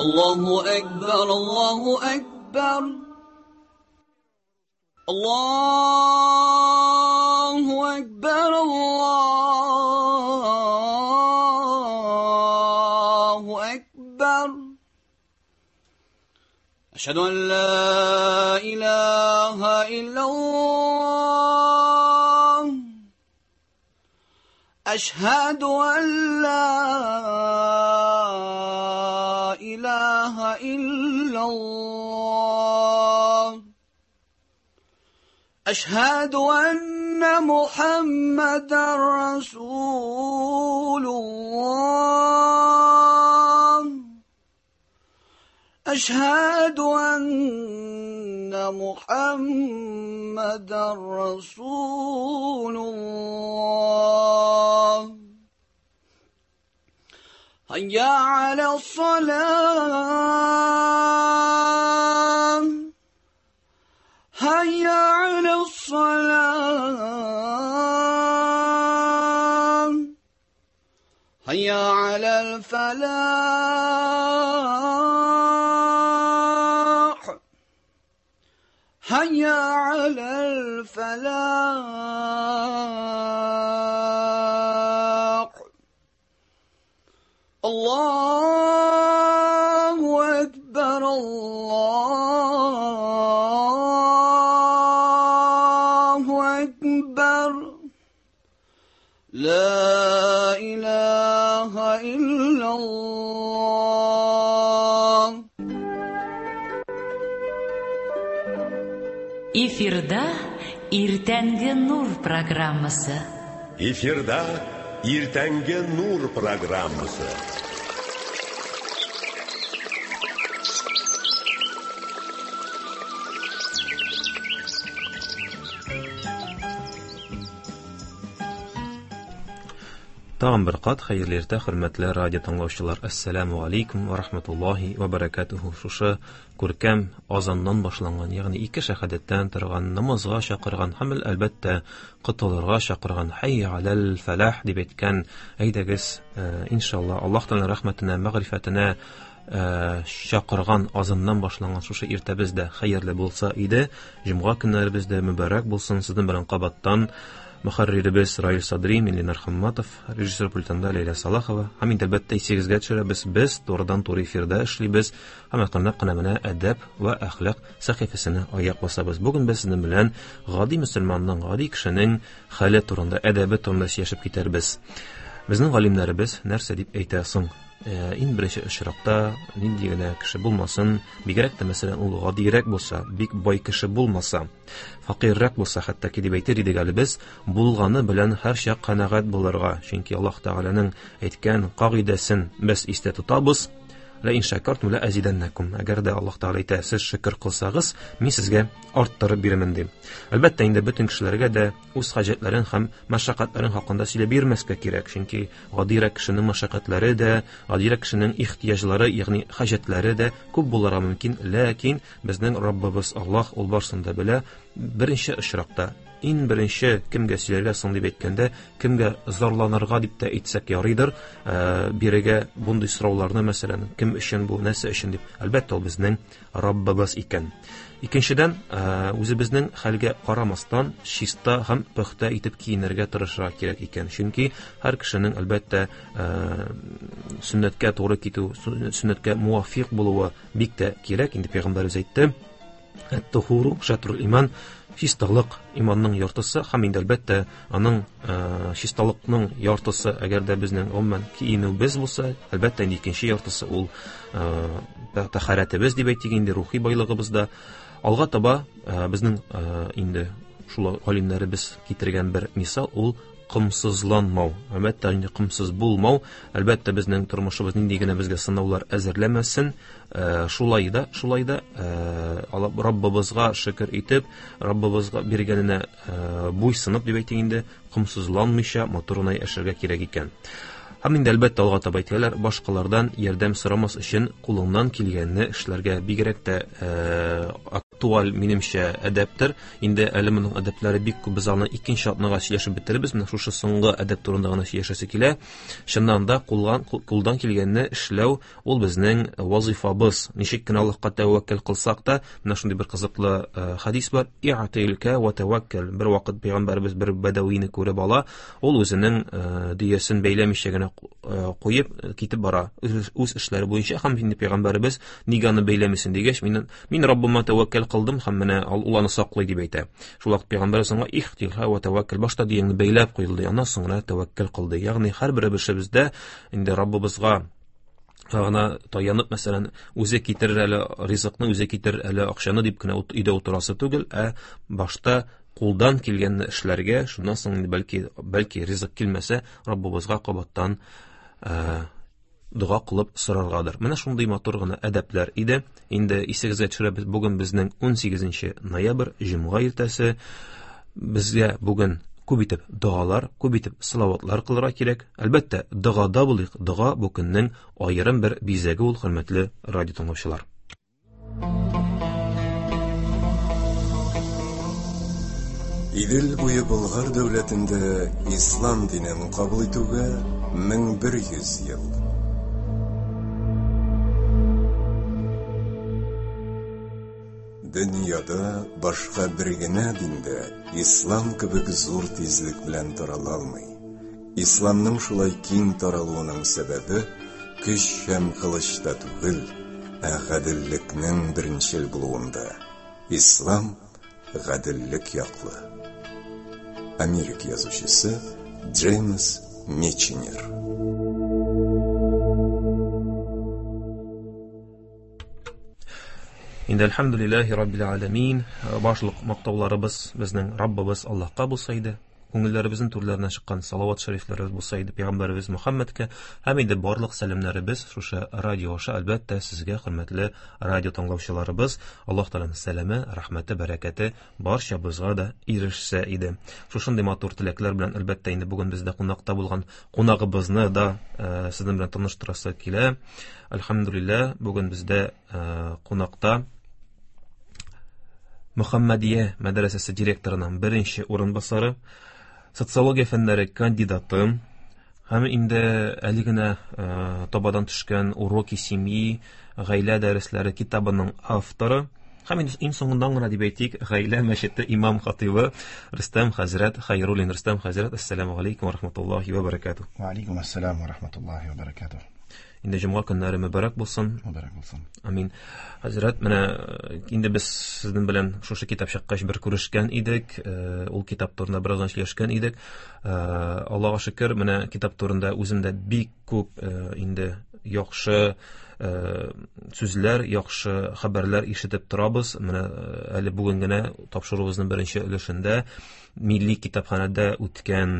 الله أكبر الله أكبر الله أكبر الله أكبر أشهد أن لا إله إلا الله أشهد أن لا إله إلا الله أشهد أن محمدا رسول الله أشهد أن محمدا رسول الله هيا على الصلاة هيا على الصلاة هيا على الفلاح هيا على الفلاح الله أكبر الله أكبر لا إله إلا الله. Эфирда Иртәнге Нур программасы. Эфирда Иртәнге Нур программасы. Тагын бер кат хәерле иртә, хөрмәтле радио тыңлаучылар. Ассаламу алейкум ва рахматуллахи ва баракатуху. Шушы күркәм азаннан башланган, ягъни ике шәһадәттән торган, намазга чакырган һәм әлбәттә котылырга чакырган Hayya алал фалах дип әйткән, әйдәгез, иншалла Аллаһ Тәгаләнең рәхмәтенә, мәгърифәтенә чакырган азаннан башланган шушы иртәбез дә хәерле булса иде. Җомга көннәребез дә мөбарәк булсын. Сезнең белән кабаттан мөхәрриребез Раил Садри, мин Ленар Хамматов, режиссер пультында Ләйлә Салахова. Һәм инде әлбәттә исегезгә төшерәбез, без турыдан-туры эфирда эшлибез һәм әкренләп кенә менә әдәп ва әхлак сәхифәсенә аяк басабыз. Бүген без сезнең белән гади мөселманның, гади кешенең хәле турында, әдәбе турында сөйләшеп китәрбез. Безнең галимнәребез нәрсә дип әйтә соң? Иң беренче очракта нинди генә кеше булмасын, бигрәк тә мәсәлән ул гадирәк булса, бик бай кеше булмаса, фәкыйрьрәк булса, хәтта ки дип әйтер идек әле без, булганы белән һәрчак канәгать булырга. Чөнки Аллаһ Тәгаләнең әйткән кагыйдәсен без истә тотабыз. Ла ин шакартум ла азиданнакум. Әгәр дә Аллаһ Тәгалә әйтә, сез шөкер кылсагыз, мин сезгә арттырып бирермен ди. Әлбәттә инде бөтен кешеләргә дә үз хаҗәтләрен һәм мәшәкатьләрен хакында сөйләп бирмәскә кирәк, чөнки гадирәк кешенең мәшәкатьләре дә, гадирәк кешенең ихтыяҗлары, ягъни хаҗәтләре дә күп булырга мөмкин. Ләкин безнең Раббыбыз Аллаһ ул барсын да белә. Беренче очракта иң беренче кемгә сөйләргә соң дип әйткәндә, кемгә зарланырга дип тә әйтсәк ярыйдыр, бирегә бундый сорауларны, мәсәлән, кем өчен бу, нәрсә өчен дип, әлбәттә ул безнең Раббыбыз икән. Икенчедән, үзебезнең хәлгә карамастан чиста һәм пөхтә итеп киенергә тырышырга кирәк икән. Чөнки һәр кешенең әлбәттә сөннәткә туры китү, сөннәткә муафиq булуы бик тә кирәк. Инде пәйгамбәребез әйтте: Ат-тухуру шатрул иман, чисталык иманның яртысы һәм инде әлбәттә аның чисталыкның яртысы, әгәр дә безнең гомумән киенүебез булса, әлбәттә инде икенче яртысы ул тәһарәтебез дип әйтик инде, рухи байлыгыбыз да. Алга таба безнең инде шул галимнәребез китергән бер мисал ул комсызланмау. Әлбәттә инде комсыз булмау, әлбәттә безнең тормышыбыз нинди генә безгә сынаулар әзерләмәсен, шулай да, шулай да Раббыбызга шөкер итеп, Раббыбызга биргәненә буйсынып дип әйтик инде, комсызланмыйча матур гына яшәргә кирәк икән. Һәм инде әлбәттә алга таба әйтәләр, башкалардан ярдәм сорамас өчен кулыңнан килгәнне эшләргә. Бигрәк тә актуаль, минемчә, әдәптер. Инде әле моның әдәпләре бик күп, без аны икенче атнага сөйләшеп бетерербез. Менә шушы соңгы әдәп турында гына сөйләшәсе килә. Чыннан да кулдан килгәнне эшләү ул безнең вазифабыз. Ничек кенә Аллаһка тәвәккәл кылсак та, менә шундый бер кызыклы хадис бар. И'тилка ва тәвәккәл. Бер вакыт пәйгамбәребез бер бәдәвине күреп ала, ул үзенең дөясен бәйләмичә генә куеп китеп бара үз эшләре буенча. Һәм инде пәйгамбәребез нигә аны бәйләмисең дигәч, мин Раббыма тәвәккәл кылдым һәм менә ул аны саклый дип әйтә. Шул вакыт пәйгамбәребез аңа ихтилха ва тәвәккәл, башта дөяңне бәйләп куелды, аннан соң гына тәвәккәл кылды. Ягъни һәрберебездә инде Раббыбызга гына таянып, мәсәлән, үзе китерер әле ризыкны, үзе китерер әле акчаны дип кенә өйдә утырасы түгел, ә башта кулдан килгәнне эшләргә, шуннан соң инде бәлки ризык килмәсә, Раббыбызга кабаттан дога кылып сораргадыр. Менә шундый матур гына әдәпләр иде. Инде исегезгә төшерәбез, бүген безнең 18 ноябрь, җомга иртәсе. Безгә бүген күп итеп догалар, күп итеп салаватлар кылырга кирәк. Әлбәттә, догада булыйк. Дога бу көннең аерым бер бизәге ул, хөрмәтле радио тыңлаучылар. Идел буе Болгар дәүләтендә ислам динен кабул итүгә 1100 ел. Дөньяда башка бер генә диндә ислам кебек зур тизлек белән тарала алмый. Исламның шулай киң таралуының сәбәбе көч һәм кылычта түгел, ә гаделлекнең беренчел булуында. Ислам гаделлек яклы. Америка язучысы Джеймс Миченер. Инде әлхәмдүлилләһи раббил аламин, башлык мактауларыбыз безнең Раббыбыз Аллаһка булса иде, күңелләребезнең түрләреннән чыккан салават шәрифләребез булса иде пәйгамбәребез Мөхәммәдкә, һәм инде барлык сәламнәребез шушы радио аша әлбәттә сезгә, хөрмәтле радио тыңлаучыларыбыз, Аллаһ Тәгаләнең сәламе, рәхмәте, бәрәкәте барчабызга да ирешсә иде. Шушындый матур теләкләр белән әлбәттә инде бүген бездә кунакта булган кунагыбызны да сезнең белән таныштырасы килә. Әлхәмдүлилләһ, бүген бездә кунакта Мөхәммәдия мәдрәсәсе директорының беренче урынбасары, социология фәннәре кандидаты һәм инде әле генә табадан төшкән Уроки семьи, гаилә дәресләре китабының авторы һәм инде иң соңыннан гына дип әйтик, гаилә мәчете имам хатибы Рөстәм хәзрәт Хәйруллин. Рөстәм хәзрәт, ассаламу алейкум ва рахматуллахи ва баракатух. Ва алейкум ассалам ва рахматуллахи ва баракатух. Инде җомга көннәре мөбарәк булсын. Мөбарәк булсын. Амин. Хәзрәт, менә инде без сезнең белән шушы китап чыккач бер күрешкән идек, ул китап турында бераздан сөйләшкән идек. Аллаһка шөкер, менә китап турында үзем дә бик күп инде яхшы сүзләр, яхшы хәбәрләр ишетеп торабыз. Менә әле бүген генә тапшыруыбызның беренче өлешендә Милли китапханәдә үткән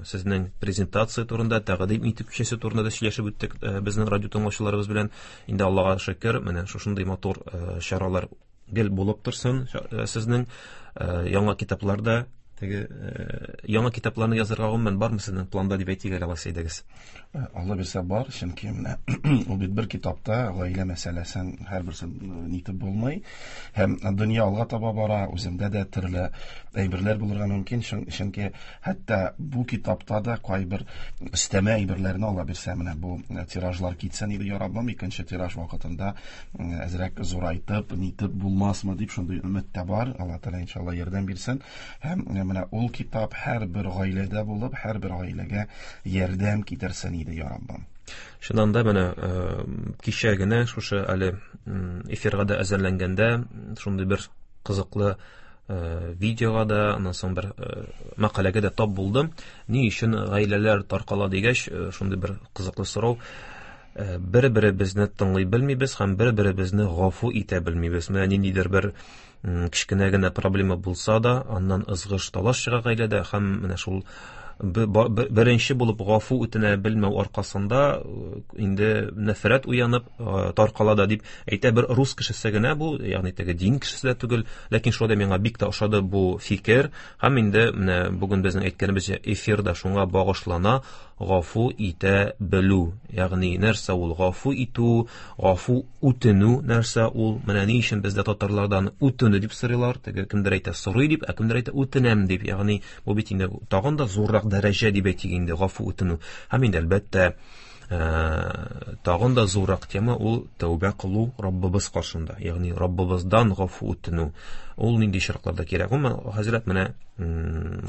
сезнең презентация турында, тәкъдим итү кичәсе турында да сөйләшеп үттек безнең радио тыңлаучыларыбыз белән. Инде Аллаһка шөкер, менә шушындый матур чаралар гел булып торсын сезнең яңа китапларда. Теге яңа китапларны язырга гомумән бармы сезнең планда дип әйтик әле, алайса әйдәгез. Алла бирсә бар, чөнки менә ул бит бер китапта гаилә мәсьәләсен һәрберсен нитеп булмый. Һәм дөнья алга таба бара, үземдә дә төрле әйберләр булырга мөмкин, чөнки хәтта бу китапта да кайбер өстәмә әйберләрне ала бирсә, менә бу тиражлар китсен иде, я Раббым, икенче тираж вакытында әзрәк зурайтып, нитеп булмасмы дип шундый өмет тә бар. Алла Тәгалә иншалла ярдәм бирсен. Һәм менә ул китап һәрбер гаиләдә булып, һәрбер гаиләгә ярдәм китерсен иде, я Раббым. Чыннан да менә кичә генә шушы әле эфирга да әзерләнгәндә шундый бер кызыклы видеога да, аннан соң бер мәкаләгә дә тап булдым. Ни өчен гаиләләр таркала дигәч, шундый бер кызыклы сорау. Бер-беребезне тыңлый белмибез һәм бер-беребезне гафу итә белмибез. Менә ниндидер бер кечкенә генә проблема булса да, аннан ызгыш талаш чыга гаиләдә һәм менә шул беренче булып гафу үтенә белмәү аркасында инде нәфрәт уянып таркала да дип әйтә бер рус кешесе генә бу, ягъни теге дин кешесе дә түгел, ләкин шулай да миңа бик тә ошады бу фикер. Һәм инде менә бүген безнең әйткәнебезчә эфир да шуңа багышлана. гафу итә белү. Ягъни нәрсә ул гафу итү, гафу үтенү нәрсә ул? Менә ни өчен бездә татарлардан үтенү дип сорыйлар? Теге кемдер әйтә сорый дип, ә кемдер әйтә үтенәм дип. Ягъни бу бит инде тагын да зуррак дәрәҗә дип әйтик инде гафу үтенү. Һәм инде әлбәттә тагын да зуррак тема ул тәүбә кылу Раббыбыз каршында, ягъни Раббыбыздан гафу үтенү. Ул нинди очракларда кирәк? Гомумән, хәзрәт, менә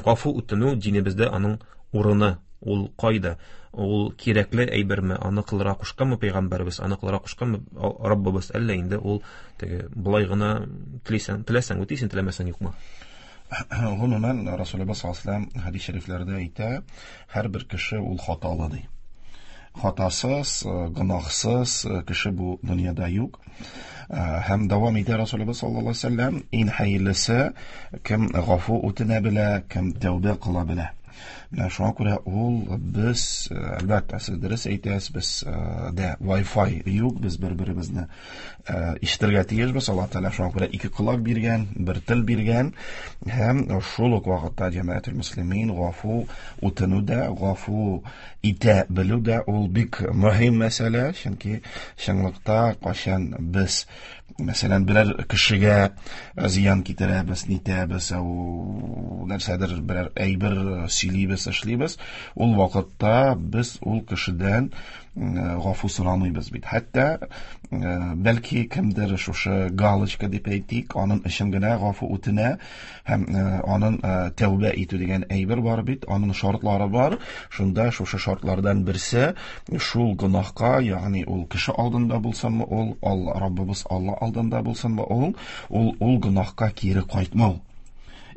гафу үтенү динебездә аның урыны ул кайда? Ул кирәкле әйберме? Аны кылырга кушканмы пәйгамбәребез? Аны кылырга кушканмы Раббыбыз? Әллә инде ул теге болай гына телисәң, теләсәң үтисең, теләмәсәң юкмы? Гомумән, Расулыбыз саллаллаһу алейһи ва сәлләм хәдис шәрифләрдә әйтә, һәрбер кеше ул хаталы ди. Хатасыз, гөнаһсыз кеше бу дөньяда юк. Һәм дәвам итә Расулыбыз саллаллаһу алейһи ва сәлләм, иң хәерлесе кем гафу үтенә белә, кем тәүбә кыла белә. Менә шуңа күрә ул без, әлбәттә, сез дөрес әйтәсез, без дә Wi-Fi юк, без бер-беребезне ишетергә тиешбез. Аллаһ Тәгалә шуңа күрә ике колак биргән, бер тел биргән һәм шул ук вакытта җәмәгател мөслимин гафу үтенү дә, гафу итә белү дә ул бик мөһим мәсьәлә, чөнки чынлыкта кайчан без мәсәлән берәр кешегә зыян китерәбез, нитәбез, ул нәрсәдер берәр әйбер сөйлибез, эшлибез, ул вакытта без ул кешедән гафу сорамыйбыз бит. Хәтта бәлки кемдер шушы галочка дип әйтик, аның өчен генә гафу үтенә һәм аның тәүбә итү дигән әйбер бар бит, аның шартлары бар. Шунда шушы шартлардан берсе шул гөнаһка, ягъни ул кеше алдында булсынмы ул, Алла Раббыбыз Алла алдында булсынмы ул, ул гөнаһка кире кайтмау.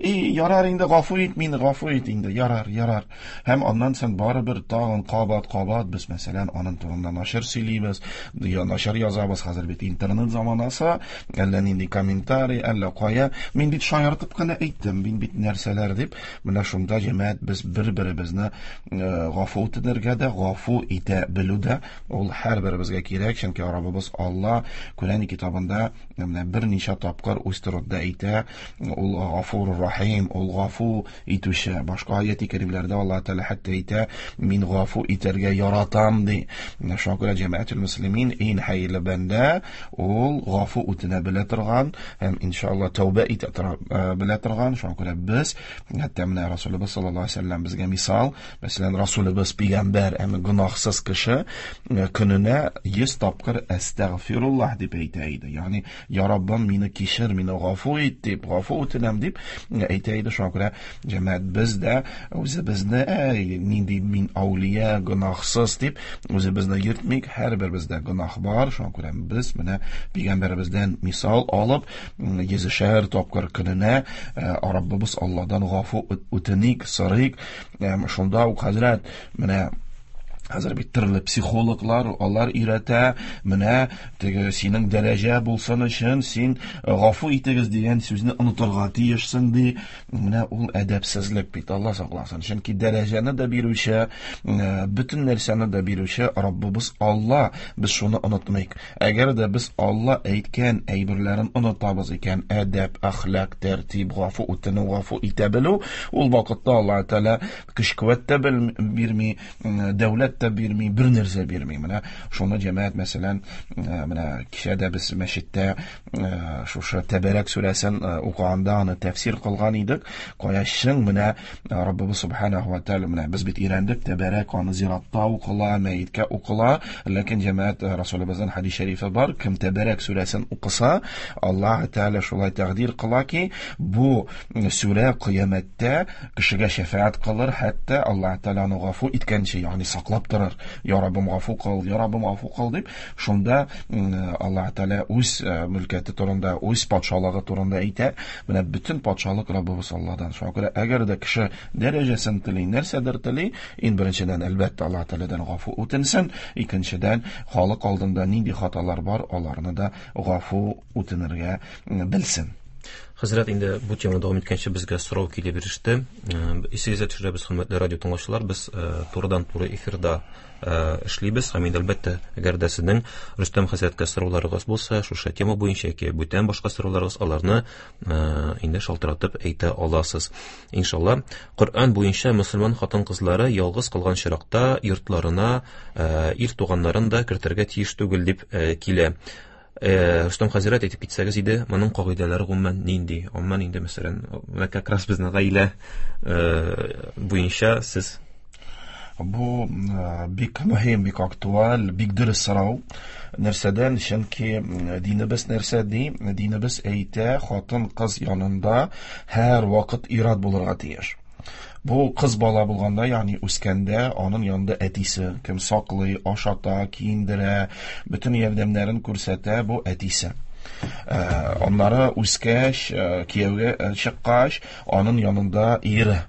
И, ярар инде, гафу ит мине, гафу ит инде, ярар, ярар. Һәм аннан соң барыбер тагын кабат-кабат без, мәсәлән, аның турында начар сөйлибез, я начар язабыз. Хәзер бит интернет заманасы, әллә нинди комментарий, әллә кая. Мин бит шаяртып кына әйттем, мин бит нәрсәләр дип. Менә шунда җәмәгать без бер-беребезне гафу үтенергә дә, гафу итә белү дә ул һәрберебезгә кирәк, чөнки Раббыбыз Алла Коръән китабында менә берничә тапкыр үз турында әйтә, ул Гафур Рахим, ул гафу итүче. Башка аят-и кәримләрдә Аллаһ Тәгалә хәтта әйтә, мин гафу итәргә яратам ди. Менә шуңа күрә җәмәгател мөслимин иң хәерле бәндә ул гафу үтенә белә торган һәм иншалла тәүбә итә белә торган. Шуңа күрә без хәтта менә Расулыбыз саллаллаһу алейһи ва сәлләм безгә мисал, мәсәлән, Расулыбыз пәйгамбәр, әмма гөнаһсыз кеше көненә 100 тапкыр әстәгъфируллаһ дип әйтә иде. Ягъни, я Раббым, мине кичер, мине гафу ит дип, гафу үтенәм дип әйтә иде. Шуңа күрә җәмәгать без дә үзебезне, әй, нинди мин әүлия, гөнаһсыз дип үзебезне йөртмик. Һәрберебездә гөнаһ бар. Шуңа күрә без менә пәйгамбәребездән мисал алып, йөзешәр тапкыр көненә Раббыбыз Алладан гафу үтеник, сорыйк. Шунда ук хәзрәт менә хәзер бит төрле психологлар, алар өйрәтә, менә теге синең дәрәҗә булсын өчен син гафу итегез дигән сүзне онытырга тиешсең ди. Менә ул әдәпсезлек бит, Алла сакласын. Чөнки дәрәҗәне дә бирүче, бөтен нәрсәне дә бирүче Раббыбыз Алла. Без шуны онытмыйк. Әгәр дә без Алла әйткән әйберләрен онытабыз икән, әдәп, әхлак, тәртип, гафу үтенү, гафу итә белү, ул вакытта Алла Тәгалә көч-куәт тә бирми, дәүләт тә бирми, бер нәрсә бирми. Менә шуны җәмәгать, мәсәлән, менә кичә дә без мәчеттә шушы Тәбәрәк сүрәсен укыганда аны тәфсир кылган идек. Кая чын менә Раббыбыз субханаху ва тааля, менә без бит өйрәндек, Тәбәрәк аны зиратта укыла, мәеткә укыла, ләкин җәмәгать Расулыбызның хәдис шәрифе бар, кем Тәбәрәк сүрәсен укыса, Аллаһ Тааля шулай тәкъдир кыла ки, бу сүрә кыямәттә кешегә шәфәгать кылыр, хәтта Аллаһ Тааля аны гафу иткәнче, ягъни саклап торыр. Я Раббым, гафу кыл, я Раббым, гафу кыл дип, шунда Аллаһ Тааля үз мөлкәте турында, үз патшалыгы турында әйтә. Менә бөтен патшалык Раббыбыз Алладан. Шуңа күрә әгәр дә кеше дәрәҗәсен тели, нәрсәдер тели, иң беренчедән, әлбәттә, Аллаһ Таалядан гафу үтенсен, икенчедән, халык алдында нинди хаталар бар, аларны да гафу үтенергә белсен. Хәзрәт, инде бу теманы дәвам иткәнче безгә сорау килеп иреште. Исегезгә төшерәбез, хөрмәтле радио тыңлаучылар, без турыдан-туры эфирда эшлибез һәм инде әлбәттә, әгәр дә сезнең Рөстәм хәзрәткә сорауларыгыз булса, шушы тема буенча яки бүтән башка сорауларыгыз, аларны инде шалтыратып әйтә аласыз. Иншалла, Коръән буенча мөселман хатын-кызлары ялгыз калган чиракта йортларына ир туганнарын да кертергә тиеш түгел дип килә. Рөстәм хәзрәт, әйтеп китсәгез иде, моның кагыйдәләре гомумән нинди? Гомумән инде, мәсәлән, менә как раз безнең гаилә буенча сез. Бу бик мөһим, бик актуаль, бик дөрес сорау. Нәрсәдән? Чөнки динебез нәрсә ди? Динебез әйтә, хатын-кыз янында һәр вакыт ир-ат булырга тиеш. Бу кыз бала булганда, ягъни үскәндә, аның янында әтисе, кем саклый, ашата, киендерә, бөтен ярдәмнәрен күрсәтә, бу әтисе. Аннары үскәч, кияүгә чыккач, аның янында ире,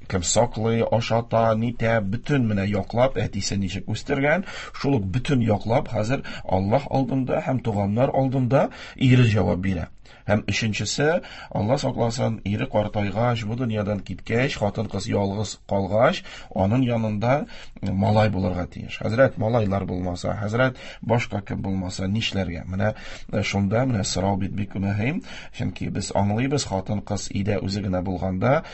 кем саклый, ашата, нитә, бөтен менә яклап, әтисе ничек үстергән, шул ук бөтен яклап хәзер Аллаһ алдында һәм туганнар алдында ире җавап бирә. Һәм өченчесе, Алла сакласын, ире картайгач, бу дөньядан киткәч, хатын-кыз ялгыз калгач, аның янында малай булырга тиеш. Хәзрәт, малайлар булмаса, хәзрәт, башка кем булмаса, нишләргә? Менә шунда менә сорау бит бик мөһим, чөнки без аңлыйбыз, хатын-кыз өйдә үзе генә булганда,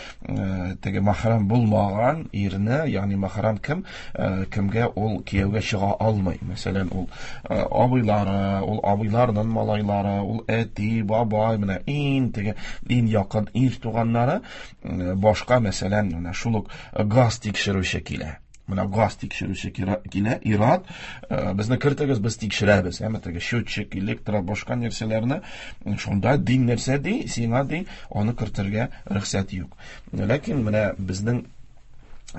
теге махрам булмаган ирне, ягъни махрам кем, кемгә ул кияүгә чыга алмый. Мәсәлән, ул абыйлары, ул абыйларның малайлары, ул әти, бабай, менә иң теге иң якын ир туганнары, башка, мәсәлән, менә шул ук газ тикшерүче килә. Менә газ тикшерүче килә, ир-ат, безне кертегез, без тикшерәбез. Әмма теге счетчик, электро, башка нәрсәләрне, шунда дин нәрсә ди, сиңа ди, аны кертергә рөхсәт юк. Ләкин менә безнең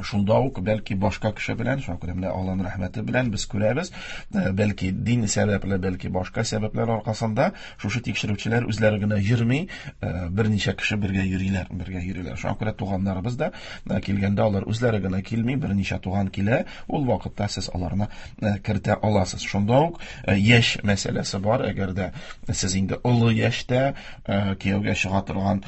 шунда ук бәлки башка кеше белән, шуңа күрә менә Аллаһның рәхмәте белән без күрәбез, бәлки дин сәбәпле, бәлки башка сәбәпләр аркасында шушы тикшерүчеләр үзләре генә йөрми, берничә кеше бергә йөриләр, бергә йөриләр. Шуңа күрә туганнарыбыз да килгәндә алар үзләре генә килми, берничә туган килә, ул вакытта сез аларны кертә аласыз. Шунда ук яшь мәсьәләсе бар, әгәр дә сез инде олы яшьтә кияүгә чыга торган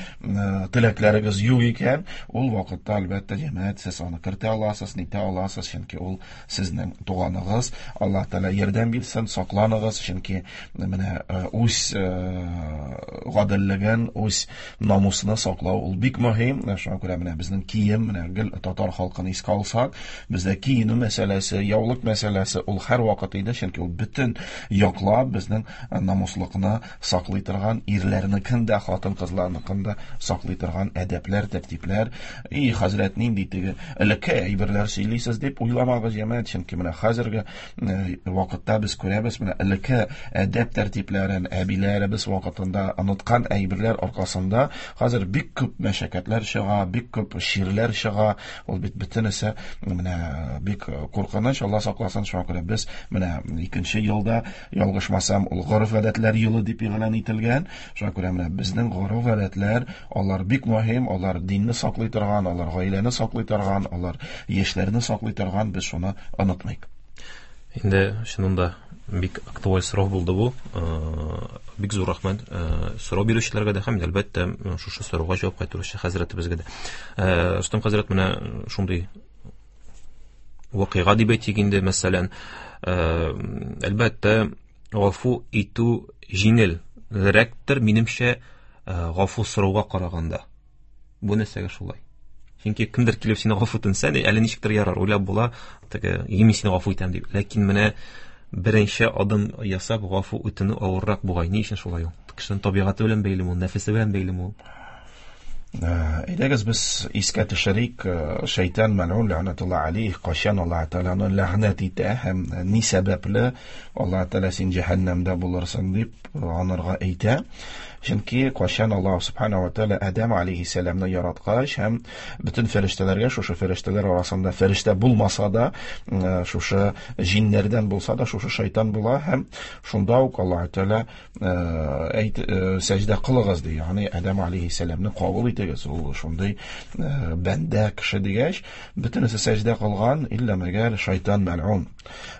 теләкләрегез юк икән, ул вакытта әлбәттә җәмәгать сез аны кертә аласыз, нитә аласыз, чөнки ул сезнең туганыгыз. Аллаһ Тәгалә ярдәм бирсен, сакланыгыз, чөнки менә үз гаделлеген, үз намусны саклау ул бик мөһим. Шуңа күрә менә безнең кием, менә гел татар халкын искә алсак, бездә киенү мәсьәләсе, яулык мәсьәләсе ул һәр вакыт иде, чөнки ул бөтен яклап безнең намуслыкны саклый торган, ирләрнекен дә, хатын-кызларныкын да саклый торган әдәпләр, тәртипләр. И, хәзрәт, нинди теге элекке әйберләр сөйлисез дип уйламагыз, җәмәгать, чөнки менә хәзерге вакытта без күрәбез, менә элекке әдәп тәртипләрен әбиләребез вакытында оныткан әйберләр аркасында хәзер бик күп мәшәкатьләр чыга, бик күп чирләр чыга. Ул бит бөтенесе менә бик куркыныч, Алла сакласын. Шуңа күрә без менә икенче елда, ялгышмасам, ул гореф-гадәтләр елы дип игълан ителгән. Шуңа күрә менә безнең гореф-гадәтләр, алар бик мөһим, алар динне саклый торган, алар гаиләне саклый торган, алар яшьләрне саклый торган, без шуны онытмыйк. Инде чыннан да бик актуаль сорау булды бу. Бик зур рәхмәт сорау бирүчеләргә дә һәм әлбәттә шушы сорауга җавап кайтаручы хәзрәтебезгә дә. Рөстәм хәзрәт, менә шундый вакыйга дип әйтик инде, мәсәлән, әлбәттә, гафу итү җиңелрәктер, минемчә, гафу сорауга караганда. Бу нәрсәгә шулай? Чөнки кемдер килеп сине гафу үтенсә, әле ничектер ярар, уйлап була, теге, мин сине гафу итәм дип. Ләкин менә беренче адым ясап гафу үтенү авыррак бугай. Ни өчен шулай ул? Кешенең табигате белән бәйлеме ул, нәфесе белән бәйлеме ул? Әйдәгез без искә төшерик, шайтан мәлгун ләгънәтулла алейх, кайчан Аллаһ Тәгаләне ләгънәт итә һәм ни сәбәпле Аллаһ Тәгалә син җәһәннәмдә булырсың дип анарга әйтә. Чөнки кайчан Аллаһ Субхана ва Тәгалә Адәм алейһиссәламны яраткач һәм бөтен фәрештәләргә, шушы фәрештәләр арасында фәрештә булмаса да, шушы җиннәрдән булса да, шушы шайтан була һәм шунда ук Аллаһ Тәгалә әйт, сәҗдә кылыгыз ди, ягъни Адәм алейһиссәламны кабул итегез. итегез, ул шундый бәндә кеше дигәч, бөтенесе сәҗдә кылган, иллә мәгәр шайтан мәл'ун.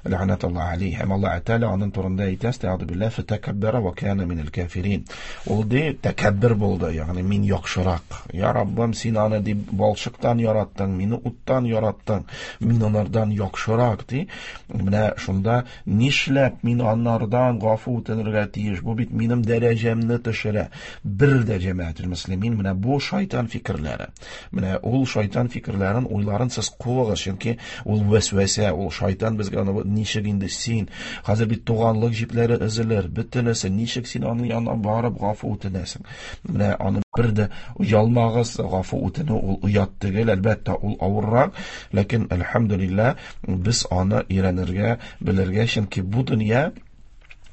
Ләгънәтуллаһ алейһ. Һәм Аллаһ Тәгалә аның турында әйтә, әстәгъфиру биллаһ, фатакаббара ва кана минал кафирин. Ул ди тәкәббер булды, ягъни мин яхшырак. Я Раббым, син аны дип балчыктан яраттың, мине уттан яраттың, мин анардан яхшырак ди. Менә шунда нишләп мин анардан гафу үтенергә тиеш? Бу бит минем дәрәҗәмне төшерә. Бер дә җәмәгател мөслимин, менә бу шайтан фикерләре. Менә ул шайтан фикерләрен, уйларын сез куыгыз, чөнки ул вәсвәсә, ул шайтан безгә аны ничек инде син, хәзер бит туганлык җипләре өзелер, бөтенесе, ничек син аның янына барып гафу үтенәсең? Менә аны бер дә оялмагыз, гафу үтенү ул оят түгел, әлбәттә, ул авыррак, ләкин әлхәмдүлилләһ, без аны өйрәнергә, белергә, чөнки бу дөнья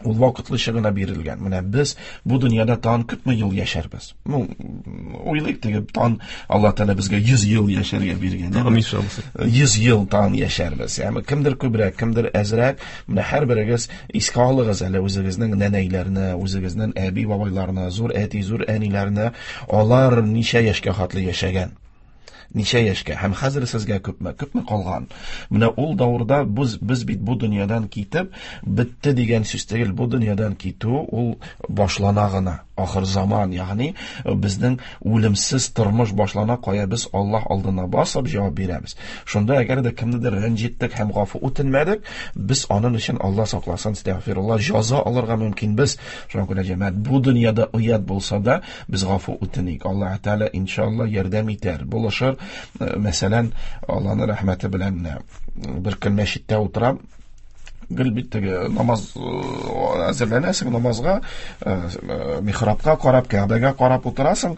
ул вакытлыча гына бирелгән. Менә без бу дөньяда тагын күпме ел яшәрбез? Ну, уйлыйк теге, тагын Аллаһ Тәгалә безгә 100 ел яшәргә биргән. Амин иншалла. 100 ел тагын яшәрбез. Ягъни кемдер күбрәк, кемдер әзрәк. Менә һәрберегез искә алыгыз әле үзегезнең нәнәйләрне, үзегезнең әби-бабайларны, зур әти, зур әниләрне. Алар ничә яшькә хәтле яшәгән? Ничә яшькә? Һәм хәзер сезгә күпме? Күпме калган? Менә ул давырда без бит бу дөньядан китеп, бетте дигән сүз түгел. Бу дөньядан китү ул башлана гына. Ахыр заман, ягъни безнең үлемсез тормыш башлана, кая без Аллаһ алдына басып җавап бирәбез. Шунда әгәр дә кемнедер рәнҗеттек һәм гафу үтенмәдек, без аның өчен Аллаһ сакласын, әстәгъфируллаһ, җаза алырга мөмкинбез. Шуңа күрә җәмәгать, бу дөньяда оят булса да, без гафу үтеник. Аллаһ Тәгалә иншалла ярдәм итәр, булышыр. Мәсәлән, Аллаһның рәхмәте белән бер көн мәчеттә утырам, гел бит теге намаз әзерләнәсең намазга, михрабка карап, Кәгъбәгә карап утырасың.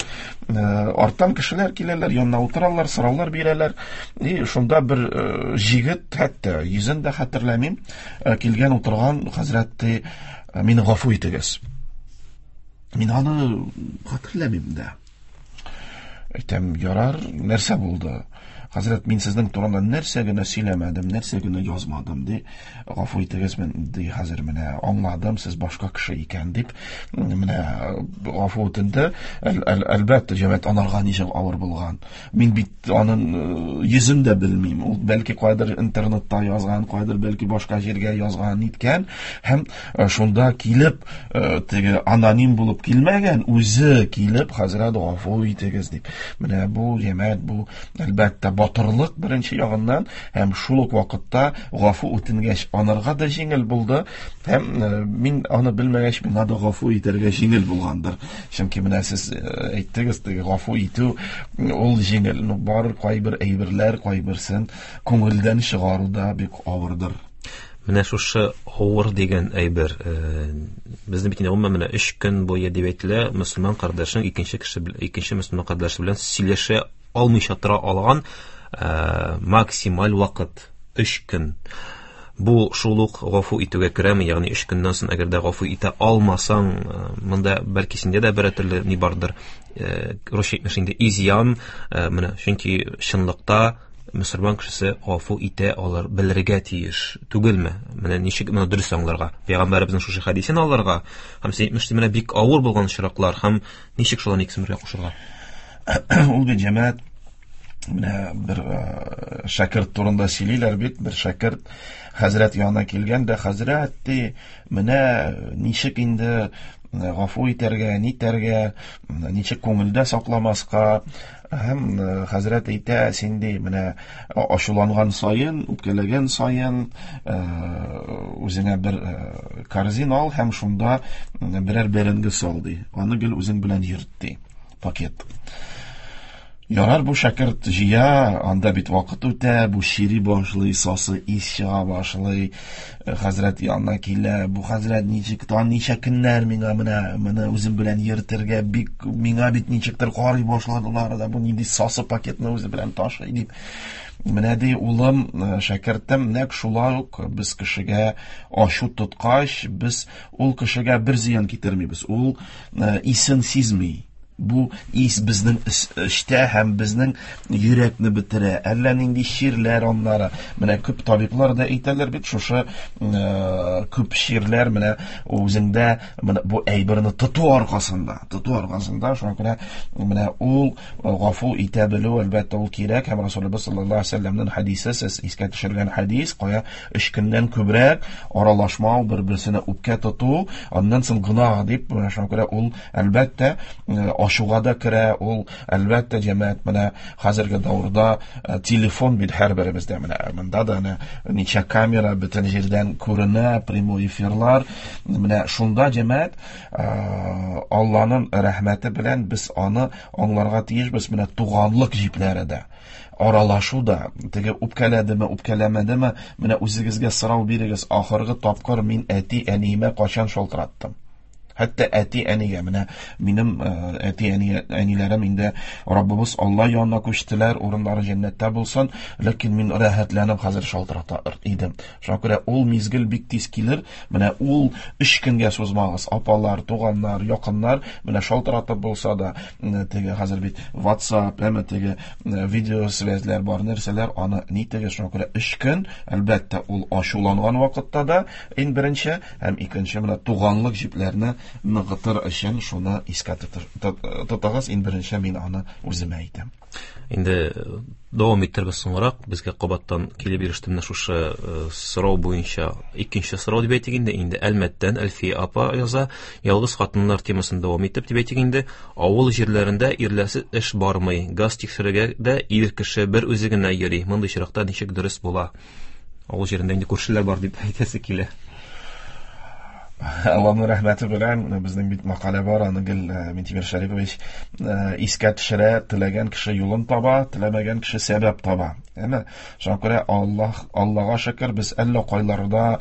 Арттан кешеләр киләләр, янына утыралар, сораулар бирәләр. И шунда бер җегет, хәтта йөзен дә хәтерләмим, килгән утырган хәзрәт ди, мине гафу итегез. Мин аны хәтерләмим дә. Әйтәм, ярар, нәрсә булды? Хәзрәт, мин сезнең турында нәрсә генә сөйләмәдем, нәрсә генә язмадым, ди. Гафу итегез, мин, ди, хәзер менә аңладым, сез башка кеше икән, дип, менә гафу үтенде. Әлбәттә, җәмәгать, анарга ничек авыр булган. Мин бит аның йөзен дә белмим. Ул бәлки кайдыр интернетта язган, кайдыр бәлки башка җиргә язган, ниткән. Һәм шунда килеп, теге аноним булып килмәгән, үзе килеп, хәзрәт, гафу итегез, дип. Менә бу җәмәгать, бу әлбәттә батырлык беренче ягыннан, һәм шул ук вакытта гафу үтенгәч анарга да җиңел булды, һәм мин аны белмәгәч миңа да гафу итәргә җиңел булгандыр. Чөнки менә сез әйттегез, теге гафу итү ул җиңел. Ну, бар кайбер әйберләр, кайберсен күңелдән чыгару да бик авырдыр. Менә шушы авыр дигән әйбер, безнең бит инде гомумән менә 3 көн буе дип әйтелә, мөселман кардәшең икенче кеше икенче мөселман кардәше белән сөйләшә алмыйча тора алган максималь вакыт 3 көн. Бу шул ук гафу итүгә керәме? Ягъни 3 көннән соң әгәр дә гафу итә алмасаң, монда бәлки синдә дә берәр төрле ни бардыр, русча әйтмеш инде изъян, менә чөнки чынлыкта мөселман кешесе гафу итә алыр, белергә тиеш түгелме? Менә ничек моны дөрес аңларга? Пәйгамбәребезнең шушы хәдисен алырга һәм син әйтмешли, менә бик авыр булган очраклар һәм ничек шуларны икесен бергә кушырга? Ул бит җәмәгать, менә бер шәкерт турында сөйлиләр бит, бер шәкерт хәзрәт янына килгән дә, хәзрәт ди, менә ничек инде гафу итәргә, нитәргә, ничек күңелдә сакламаска. Һәм хәзрәт әйтә, син ди, менә ачуланган саен, үпкәләгән саен, үзеңә бер корзин ал һәм шунда берәр бәрәңге сал ди. Аны гел үзең белән йөрт ди. Пакет. Ярар, бу шәкерт җыя, анда бит вакыт үтә, бу чири башлый, сасы ис чыга башлый, хәзрәт янына килә, бу хәзрәт ничек, тагын ничә көннәр миңа менә үзем белән йөртергә, бик миңа бит ничектер карый башладылар да, бу нинди сасы пакетны үзе белән ташый дип. Менә ди, улым, шәкертем, нәкъ шулай ук без кешегә ачу тоткач, без ул кешегә бер зыян китермибез, ул исен сизми. Бу ис безнең эчтә һәм безнең йөрәкне бетерә. Әллә нинди чирләр аннары. Менә күп табиблар да әйтәләр бит, шушы күп чирләр менә үзеңдә менә бу әйберне тоту аркасында, шуңа күрә менә ул гафу итә белү, әлбәттә, ул кирәк. Һәм Расулыбыз саллаллаһу алейһи вәсәлләмнең хәдисе, сез искә төшергән хәдис, кая 3 көннән күбрәк аралашмау, бер-берсенә үпкә тоту, аннан соң гөнаһ дип, шуңа күрә ул әлбәттә ашуга да керә, ул әлбәттә җәмәгать менә хәзерге дәвердә телефон бит һәрберебездә, менә монда да менә ничә камера бөтен җирдән күренә, прямой эфирлар, менә шунда җәмәгать Алланың рәхмәте белән без аны аңларга тиешбез, менә туганлык җипләре дә, аралашу да, теге үпкәләдеме, үпкәләмәдеме, менә үзегезгә сорау бирегез, ахыргы тапкыр мин әти-әниемә кайчан шалтыраттым? Хәтта әти-әнигә, менә минем әти-әниләрем инде Раббыбыз Алла янына күчтеләр, урыннары җәннәттә булсын, ләкин мин рәхәтләнеп хәзер шалтырата идем. Шуңа күрә ул мизгел бик тиз килер, менә ул 3 көнгә сузмагыз, апалар, туганнар, якыннар, менә шалтыратып булса да, теге хәзер бит WhatsApp, әмма теге видеосвязьләр бар, нәрсәләр, аны ни теге, шуңа күрә 3 көн, әлбәттә, ул ачуланган вакытта да иң беренче һәм икенче менә туганлык җипләрне ныгытыр өчен шуны искә тотыгыз, иң беренче мин аны үземә әйтәм. Инде дәвам иттербез соңрак, безгә кабаттан килеп иреште менә шушы сорау буенча икенче сорау дип әйтик инде, инде Әлмәттән Әлфия апа яза, ялгыз хатыннар темасын дәвам итеп дип әйтик инде, авыл җирләрендә ирләрсез эш бармый, газ тикшерергә дә ир кеше бер үзе генә йөри, мондый очракта ничек дөрес була? Авыл җирендә инде күршеләр бар дип әйтәсе килә. Аллаһның рәхмәте белән безнең бит мәкалә бар, аны гел Минтимер Шәрипович искә төшерә, теләгән кеше юлын таба, теләмәгән кеше сәбәп таба. Әмма шуңа күрә Аллаһга шөкер, без әллә кайларда,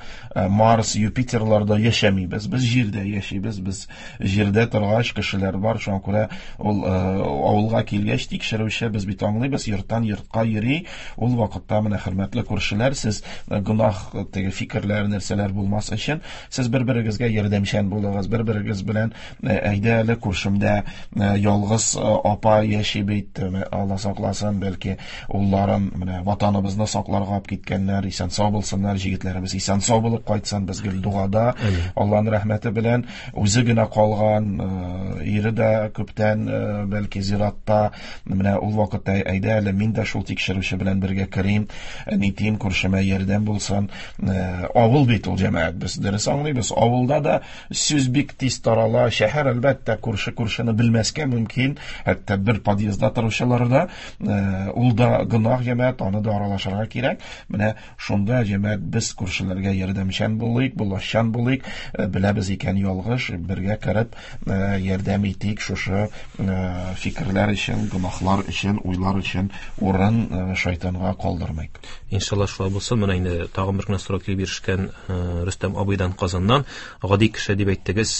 Марс, Юпитерларда яшәмибез. Без җирдә яшибез, без җирдә торгач кешеләр бар, шуңа күрә ул авылга килгәч тикшерүче, без бит аңлыйбыз, йорттан йортка йөри. Ул вакытта менә хөрмәтле күршеләр, сез гөнаһ теге фикерләр, нәрсәләр булмас өчен, сез бер-берегезгә ярдәмчән булыгыз, бер-берегез белән әйдә әле күршемдә ялгыз апа яши бит, Алла сакласын, бәлки улларын менә ватаныбызны сакларга алып киткәннәр, исән сау булсыннар, җегетләребез исән сау булып кайтсын, без гел дугада, Аллаһның рәхмәте белән үзе генә калган, ире дә күптән бәлки зиратта, менә ул вакытта әйдә әле мин дә шул тикшерүче белән бергә керим, нитим, күршемә ярдәм булсын. Авыл бит ул җәмәгать, без дөрес аңлыйбыз, авылда да сүз бик тиз тарала, шәһәр әлбәттә күрше күршене белмәскә мөмкин, хәтта бер подъездда торучылар да, ул да гөнаһ җәмәгать, аны да аралашырга кирәк. Менә шунда җәмәгать без күршеләргә ярдәмчән булыйк, булашчан булыйк, беләбез икән ялгыш, бергә кереп ярдәм итик шушы фикерләр өчен, гөнаһлар өчен, уйлар өчен урын шайтанга калдырмыйк. Иншалла шулай булсын. Менә инде тагын бер генә сорау килеп ирешкән Рөстәм абыйдан Казаннан. Гади кеше дип әйттегез,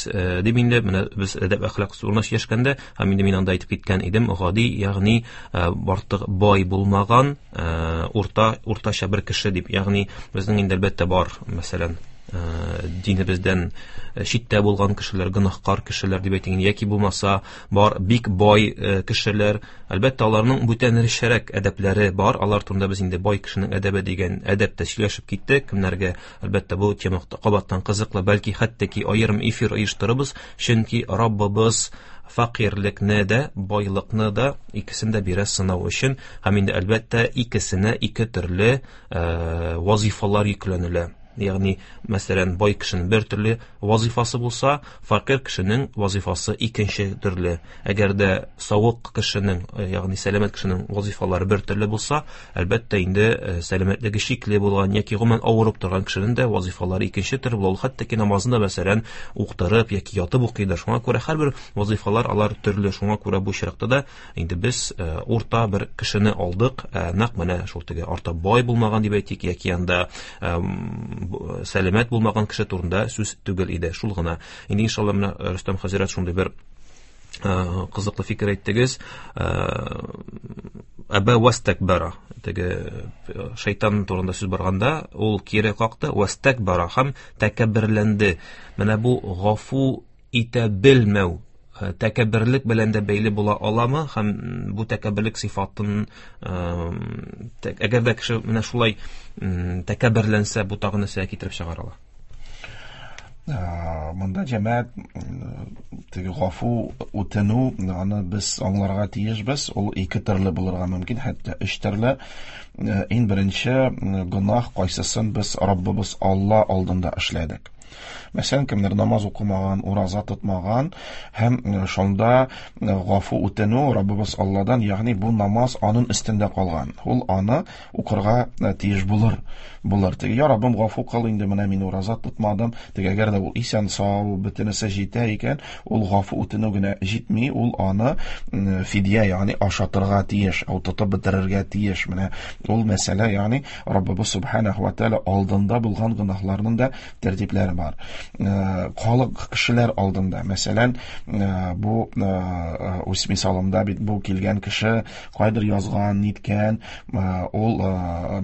дип инде менә без әдәп әхлак турында сөйләшкәндә, һәм инде мин анда әйтеп киткән идем, гади, ягъни артык бай булмаган, уртача бер кеше дип, ягъни безнең инде әлбәттә бар, мәсәлән, динебездән читтә булган кешеләр, гөнаһкар кешеләр дип әйтик, яки булмаса бар бик бай кешеләр, әлбәттә аларның бүтәнрәк әдәпләре бар, алар турында без инде бай кешенең әдәбе дигән әдәптә сөйләшеп киттек, кемнәргә әлбәттә бу тема кабаттан кызыклы, бәлки хәтта ки аерым эфир оештырыбыз, чөнки Раббыбыз фәкыйрьлекне дә, байлыкны да икесен дә бирә сынау өчен, һәм инде әлбәттә икесенә ике төрле вазифалар йөкләнелә. Ягъни, мәсәлән, бай кешенең бер төрле вазифасы булса, фәкыйрь кешенең вазифасы икенче төрле. Әгәр дә савык кешенең, ягъни сәламәт кешенең вазифалары бер төрле булса, әлбәттә инде сәламәтлеге шикле булган яки гомумән авырып торган кешенең дә вазифалары икенче төрле була. Ул хәтта ки намазын да, мәсәлән, уктырып яки ятып укыйдыр. Шуңа күрә һәрбер вазифалар алар төрле. Шуңа күрә бу очракта да инде без урта бер кешене алдык, нәкъ менә шул теге артык бай булмаган дип әйтик, яки анда сәламәт булмаган кеше турында сүз түгел иде. Шул гына. Инде иншалла менә Рөстәм хәзрәт шундый бер кызыклы фикер әйттегез. Әбә вастакбара, теге шайтан турында сүз барганда, ул кире какты, вастакбара һәм тәкәбберләнде. Менә бу гафу итә белмәү тәкәбберлек белән дә бәйле була аламы һәм бу тәкәбберлек сыйфатын, әгәр дә кеше менә шулай тәкәбберләнсә, бу тагын нәрсәгә китереп чыгара ала? Монда, җәмәгать, теге гафу үтенү, аны без аңларга тиешбез. Ул ике төрле булырга мөмкин, хәтта өч төрле. Иң беренче гөнаһ, кайсысын без Раббыбыз Алла алдында эшләдек. Мәсәлән, кемдер намаз укымаган, ураза тотмаган һәм шунда гафу үтенү Раббыбыз Алладан, ягъни бу намаз аның өстендә калган. Ул аны укырга тиеш булыр. Булыр. Теге, я Раббым, гафу кыл инде, менә мин ураза тотмадым. Теге, әгәр дә ул исән сау, бөтенесе җитә икән, ул гафу үтенү генә җитми, ул аны фидия, ягъни ашатырга тиеш, ул тотып бетерергә тиеш. Менә ул мәсьәлә, ягъни Раббыбыз субханаху ва тааля алдында булган гөнаһларның да тәртипләре бар. Халык кешеләр алдында, мәсәлән, бу үз мисалымда бит бу килгән кеше кайдыр язган, ниткән, ул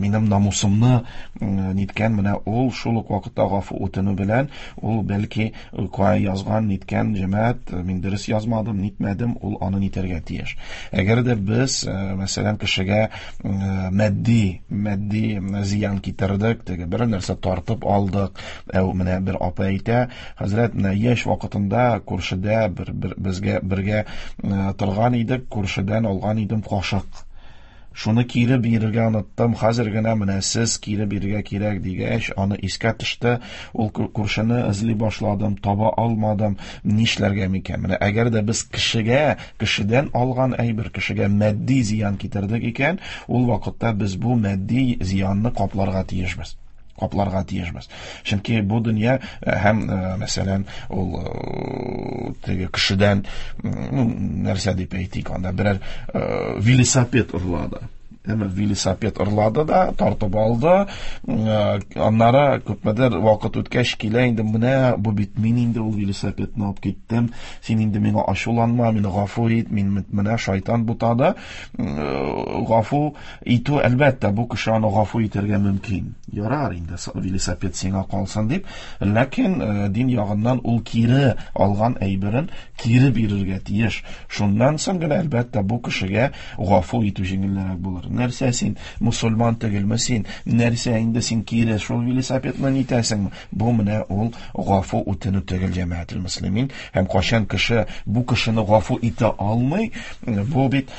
минем намусымны ниткән, менә ул шул ук вакытта гафу үтенү белән ул бәлки кая язган, ниткән, җәмәгать, мин дөрес язмадым, нитмәдем, ул аны нитәргә тиеш. Әгәр дә без, мәсәлән, кешегә матди зыян китердек, теге бер нәрсә тартып алдык, менә бер апа әйтә, хәзрәт, менә яшь вакытында күршедә безгә бергә торган идек, күршедән алган идем кашык. Шуны кире бирергә оныттым, хәзер генә менә сез кире бирергә кирәк дигәч, аны искә төште, ул күршене эзли башладым, таба алмадым, нишләргә микән? Менә әгәр дә без кешегә, кешедән алган әйбер, кешегә матди зыян китердек икән, ул вакытта без бу матди зыянны капларга тиешбез. Капларга тиешбез. Чөнки бу дөнья һәм, мәсәлән, ул теге кешедән, нәрсә дип әйтик, анда берәр велосипед урлады. Әмма велосипед урлады да, тартып алды. Аннары күпмедер вакыт үткәч килә инде, менә бу бит мин инде ул велосипедны алып киттем. Син инде миңа ачуланма, мине гафу ит, мин менә шайтан бутады. Гафу итү, әлбәттә, бу кеше аны гафу итәргә мөмкин. Ярар инде, велосипед сиңа калсын дип, ләкин дин ягыннан ул кире алган әйберен кире бирергә тиеш. Шуннан соң гына, әлбәттә, бу кешегә гафу итү җиңелрәк булыр. Нәрсә син, мусульман түгелме син? Нәрсә инде син кире шул велосипедны нитәсеңме? Бу менә ул гафу үтенү түгел, җәмәгател мөслимин. Һәм кайчан кеше бу кешене гафу итә алмый, бу бит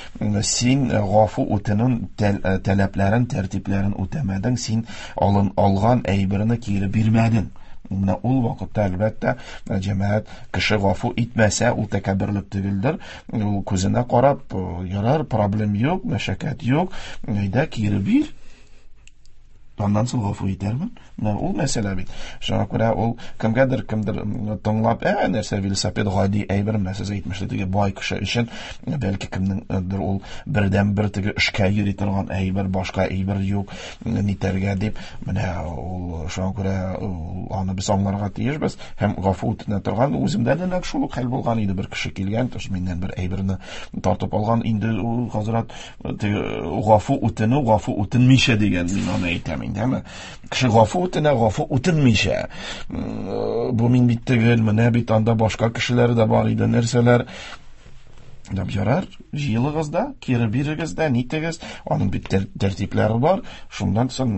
син гафу үтенү таләпләрен, тәртипләрен үтәмәдең, син алган әйберне кире бирмәдең. Менә ул вакытта, әлбәттә, җәмәгать кеше гафу итмәсә, ул тәкәбберлек түгелдер. Ул күзенә карап, ярар, проблем юк, мәшәкать юк, әйдә кире бир. Аннан соң гафу итәрмен. Менә ул мәсьәлә бит. Шуңа күрә ул кемгәдер, кемдер тыңлап, нәрсә велосипед гади әйбер, менә сез әйтмешли, теге бай кеше өчен, бәлки кемнеңдер ул бердән-бер теге эшкә йөри торган әйбер, башка әйбер юк, нитәргә дип, менә ул шуңа күрә аны без аңларга тиешбез һәм гафу үтенә торган. Үземдә дә нәкъ шул ук хәл булган иде. Бер кеше килгән, төш миннән бер әйберне тартып алган, инде ул хәзрәт теге гафу үтенү, гафу үтенмичә дигән, мин аны әйтәм инде, әмма кеше гафу үтенә, гафу үтенмичә. Бу мин бит түгел, менә бит анда башка кешеләр дә бар иде, нәрсәләр. Дип, ярар, җыелыгыз да, кире бирегез дә, нитегез, аның бит тәртипләре бар, шуннан соң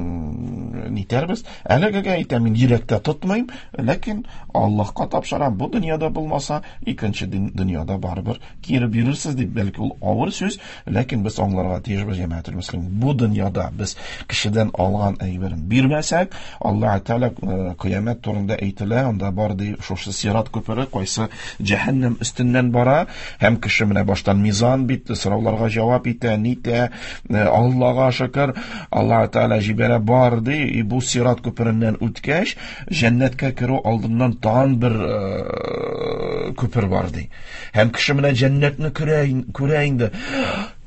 нитәрбез. Әлегегә әйтәм, мин йөрәктә тотмыйм, ләкин Аллаһка тапшырам, бу дөньяда булмаса, икенче дөньяда барыбер кире бирерсез дип, бәлки ул авыр сүз, ләкин без аңларга тиешбез, җәмәгател мөслим. Бу дөньяда без кешедән алган әйберен бирмәсәк, Аллаһ Тәгалә кыямәт турында әйтелә, анда бар ди шушы сират күпере, кайсы җәһәннәм өстеннән бара, һәм кеше менә баштан мизан бит, сорауларга җавап итә, нитә, Аллаһга шөкер, Аллаһ Тәгалә җибәрә бар ди, и бу сират күпереннән үткәч, җәннәткә керү алдыннан тагын бер күпер бар ди. Һәм кеше менә җәннәтне күрә инде.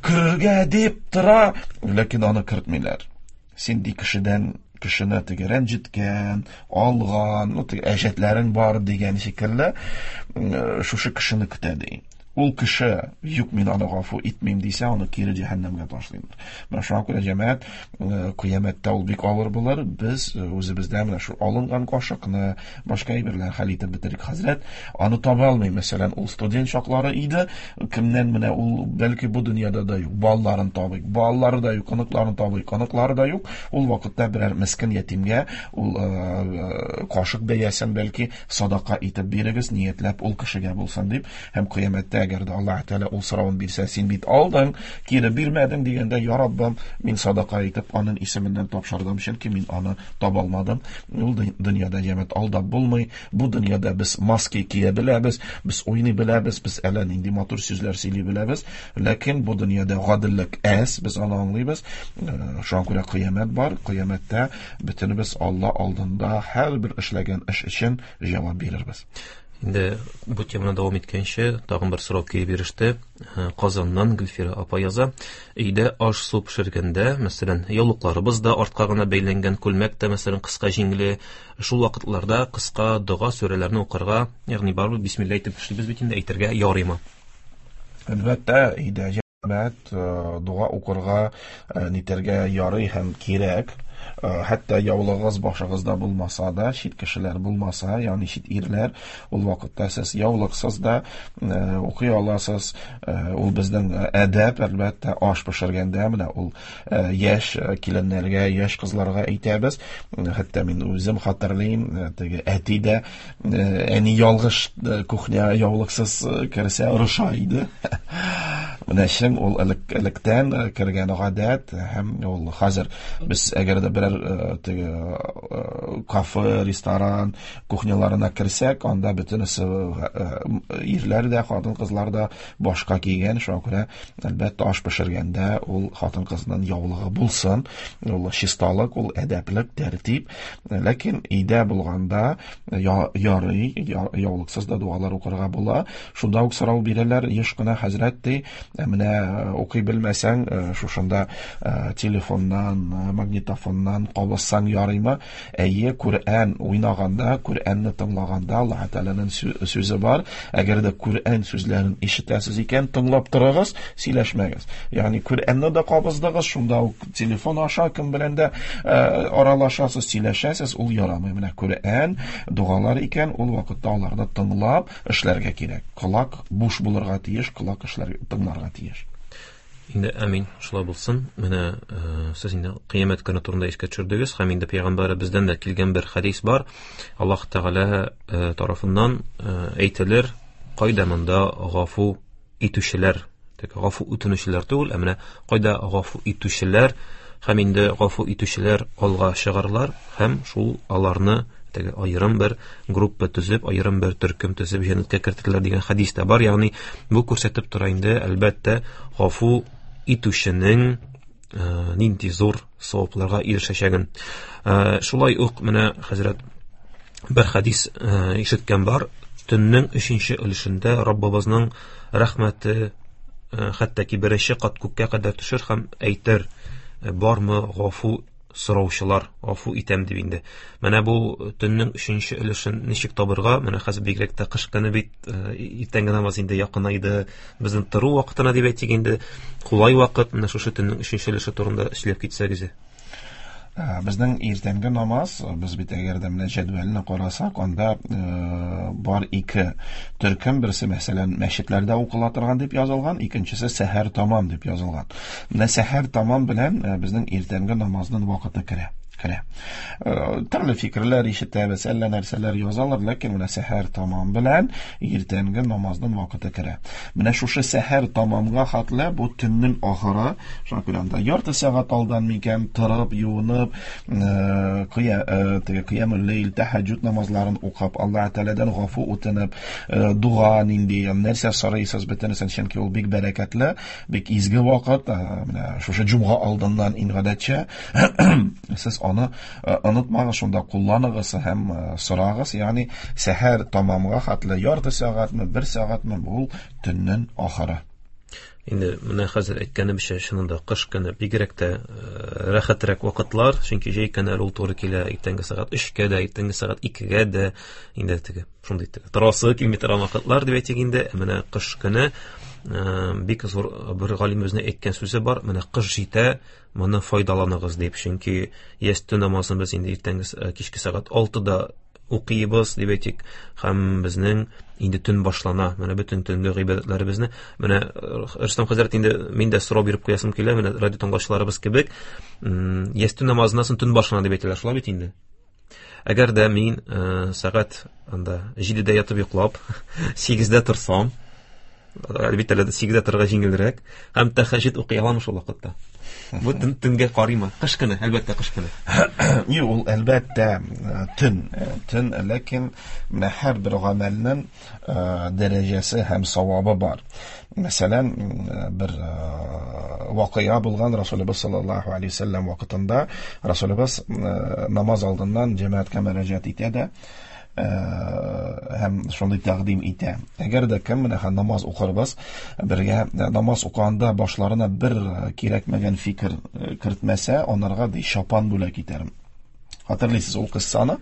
Керергә дип тора, ләкин аны кертмиләр. Син ди кешедән кешене теге рәнҗеткән, алган, ну теге әҗәтләрең бар дигән шикелле, шушы кешене көтә ди. Ул кеше, юк, мин аны гафу итмим дисә, аны кире җәһәннәмгә ташлыйлар. Менә шуңа күрә, җәмәгать, кыямәттә ул бик авыр булыр. Без үзебездә менә шул алынган кашыкны, башка әйберләр хәл итеп бетерик. Хәзрәт аны таба алмый. Мәсәлән, ул студент чаклары иде, кемнән менә ул бәлки бу дөньяда да юк. Балаларын табыйк, балалары да юк, оныкларын табыйк, оныклары да юк. Ул вакытта берәр мескен ятимгә ул кашык бәясен бәлки садака итеп бирегез, ниятләп ул кешегә булсын дип. Һәм кыямәттә әгәр дә Аллаһ Тәгалә ул соравын бирсә, син бит алдың, кире бирмәдең дигәндә, я Раббым, мин садака итеп аның исеменнән тапшырдым, чөнки мин аны таба алмадым. Ул дөньяда җәмәгать алдап булмый. Бу дөньяда без маски кия беләбез, без уйный беләбез, без әллә нинди матур сүзләр сөйли беләбез. Ләкин бу дөньяда гаделлек әз, без аны аңлыйбыз. Шуңа күрә кыямәт бар. Кыямәттә бөтенебез Алла алдында һәрбер эшләгән эш өчен җавап бирербез. Инде бу теманы дәвам иткәнче, тагын бер сорау килеп иреште. Казаннан Гөлфирә апа яза. Өйдә аш-су пешергәндә, мәсәлән, яулыкларыбыз да артка гына бәйләнгән, күлмәк тә, мәсәлән, кыска җиңле. Шул вакытларда кыска дога сүрәләрне укырга, ягъни барыбер бисмилла әйтеп эшлибез бит инде, әйтергә ярыймы? Әлбәттә, өйдә җәмәгать дога укырга, нитәргә ярый һәм кирәк. Хәтта яулыгыз башыгызда булмаса да, чит кешеләр булмаса, ягъни чит ирләр, ул вакытта сез яулыксыз да укый аласыз. Ул безнең әдәп, әлбәттә, аш пешергәндә менә ул яшь киленнәргә, яшь кызларга әйтәбез. Хәтта мин үзем хәтерлим, теге әти дә, әни ялгыш кухня яулыксыз керсә орыша иде. Менә чын ул электән кергән гадәт, һәм ул хәзер без әгәр дә берәр теге кафе, ресторан кухняларына керсәк, анда бөтенесе ирләр дә, хатын-кызлар да башка кигән, шуңа күрә әлбәттә аш пешергәндә ул хатын-кызның яулыгы булсын, ул чисталык, ул әдәплек, тәртип. Ләкин өйдә булганда ярый, яулыксыз да дуалар укырга була. Шунда ук сорау бирәләр, еш кына хәзрәт ди, менә укый белмәсәң, шушында телефоннан, магнитофоннан кабызсаң ярыймы? Әйе, Коръән уйнаганда, Коръәнне тыңлаганда Аллаһ Тәгаләнең сүзе бар. Әгәр дә Коръән сүзләрен ишетәсез икән, тыңлап торыгыз, сөйләшмәгез. Ягъни Коръәнне дә кабыздыгыз, шунда ук телефон аша кем белән дә аралашасыз, сөйләшәсез, ул ярамый. Менә Коръән, догалар икән, ул вакытта аларны тыңлап эшләргә кирәк. Колак буш булырга тиеш, колак эшләргә, тыңларга тиеш. Инде амин, шулай булсын. Менә сез инде кыямәт көне турында искә төшердегез, һәм инде пәйгамбәребездән дә килгән бер хәдис бар. Аллаһ Тәгалә тарафыннан әйтелер, кайда монда гафу итүчеләр, тик гафу үтенүчеләр түгел, ә менә кайда гафу итүчеләр, һәм инде гафу итүчеләр алга чыгарлар, һәм шул аларны теге аерым бер группа төзеп, аерым бер төркем төзеп җәннәткә кертерләр дигән хәдис тә бар. Ягъни бу күрсәтеп тора инде, әлбәттә, гафу итүченең нинди зур савапларга ирешәчәген. Шулай ук менә хәзрәт бер хәдис ишеткән бар. Төннең өченче өлешендә Раббыбызның рәхмәте хәтта ки беренче кат күккә кадәр төшер һәм әйтер, бармы гафу сораучылар, гафу итәм дип инде. Менә бу төннең өченче өлешен ничек табырга? Менә хәзер бигрәк тә кыш көне бит, иртәнге намаз инде якынайды, безнең тору вакытына дип әйтик инде, кулай вакыт. Менә шушы төннең өченче өлеше турында сөйләп китсәгез. Безнең иртәнге намаз, без бит әгәр дә менә җәдвәлне карасак, анда бар ике төркем, берсе, мәсәлән, мәчетләрдә укыла торган дип язылган, икенчесе сәһәр тамам дип язылган. Менә сәһәр тамам белән безнең иртәнге намазның вакыты керә. Төрле фикерләр ишетәбез, әллә нәрсәләр язалар, ләкин менә сәһәр тамам белән иртәнге намазның вакыты керә. Менә шушы сәһәр тамамга хәтле бу төннең ахыры, шуңа күрә анда ярты сәгать алдан микән торып, юынып, теге кыямул ләйл, тәһәҗҗүд намазларын укып, Аллаһ Тәгаләдән гафу үтенеп, дуа нинди, нәрсә сорыйсыз бөтенесен, чөнки ул бик бәрәкәтле, бик изге вакыт. Менә шушы җомга алдыннан иң гадәтчә сез аны онытмагыз, шунда кулланыгыз һәм сорагыз. Ягъни сәһәр тамамга хәтле ярты сәгатьме, бер сәгатьме, бу төннең ахыры. Инде менә хәзер әйткәнемчә, чынында кыш көне бигрәк тә рәхәтрәк вакытлар, чөнки җәй көне әле ул туры килә иртәнге сәгать 3-кә дә, иртәнге сәгать 2-гә дә, инде теге шундый теге торасы килми торган вакытлар дип әйтик инде. Ә менә кыш көне бик зур бер галимебезнең әйткән сүзе бар, менә кыш җитә, моны файдаланыгыз дип, чөнки ястү намазын без инде иртәнге кичке сәгать 6-да укыйбыз дип әйтик, һәм безнең инде төн башлана. Менә бөтен төнге гыйбадәтләребезне менә Рөстәм хәзрәт, инде мин дә сорау биреп куясым килә, менә радио тыңлаучыларыбыз кебек, ястү намазыннан соң төн башлана дип әйтәләр, шулай бит инде? Әгәр дә мин сәгать анда 7-дә ятып йоклап, 8-дә торсам, әлбәттә, әле 8-дә торырга җиңелрәк, һәм тәһәҗҗүд укый аламы шул вакытта? Бу төнгә карыймы? Кыш көне, әлбәттә, кыш көне. Юк, ул әлбәттә төн, ләкин менә һәрбер гамәлнең дәрәҗәсе һәм савабы бар. Мәсәлән, бер вакыйга булган Расулыбыз саллаллаһу алейһи ва сәлләм вакытында Расулыбыз намаз алдыннан җәмәгатькә мөрәҗәгать итә дә, һәм шундый тәкъдим итә. Әгәр дә кем менә намаз укырбыз, бергә намаз укыганда башларына бер кирәкмәгән фикер кертмәсә, анарга ди чапан бүләк итәрмен. Хәтерлисез ул кыссаны,